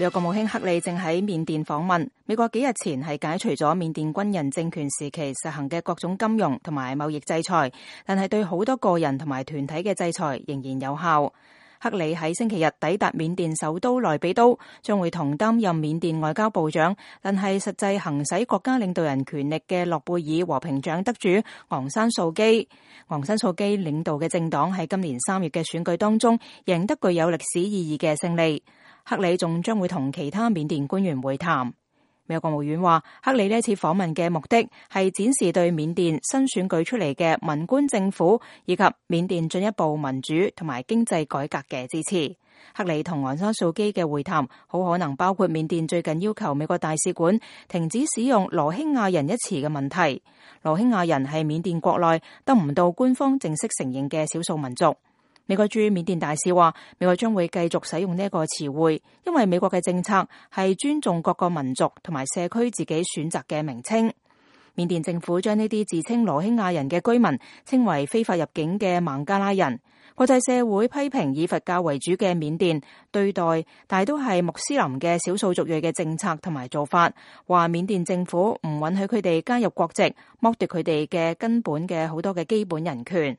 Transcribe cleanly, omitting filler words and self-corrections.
美國國務卿克里正喺緬甸訪問。美國幾日前係解除咗緬甸軍人政權時期實行嘅各種金融同埋貿易制裁，但係對好多個人同埋團體嘅制裁仍然有效。克里喺星期日抵達緬甸首都內比都，將會同擔任緬甸外交部長，但係實際行使國家領導人權力嘅諾貝爾和平獎得主昂山素基。昂山素基領導嘅政黨喺今年3月嘅選舉當中贏得具有歷史意義嘅勝利。克里仲將會同其他緬甸官員會談。美國國務院話，克里呢次訪問嘅目的係展示對緬甸新選舉出嚟嘅文官政府以及緬甸進一步民主同埋經濟改革嘅支持。克里同昂山素基嘅會談好可能包括緬甸最近要求美國大使館停止使用羅興亞人一詞嘅問題。羅興亞人係緬甸國內得唔到官方正式承認嘅少數民族。美國駐緬甸大使話，美國將會繼續使用呢一個詞彙，因為美國嘅政策係尊重各個民族同埋社區自己選擇嘅名稱。緬甸政府將呢啲自稱羅興亞人嘅居民稱為非法入境嘅孟加拉人。國際社會批評以佛教為主嘅緬甸對待大都係穆斯林嘅少數族裔嘅政策同埋做法，話緬甸政府唔允許佢哋加入國籍，剝奪佢哋嘅根本嘅好多嘅基本人權。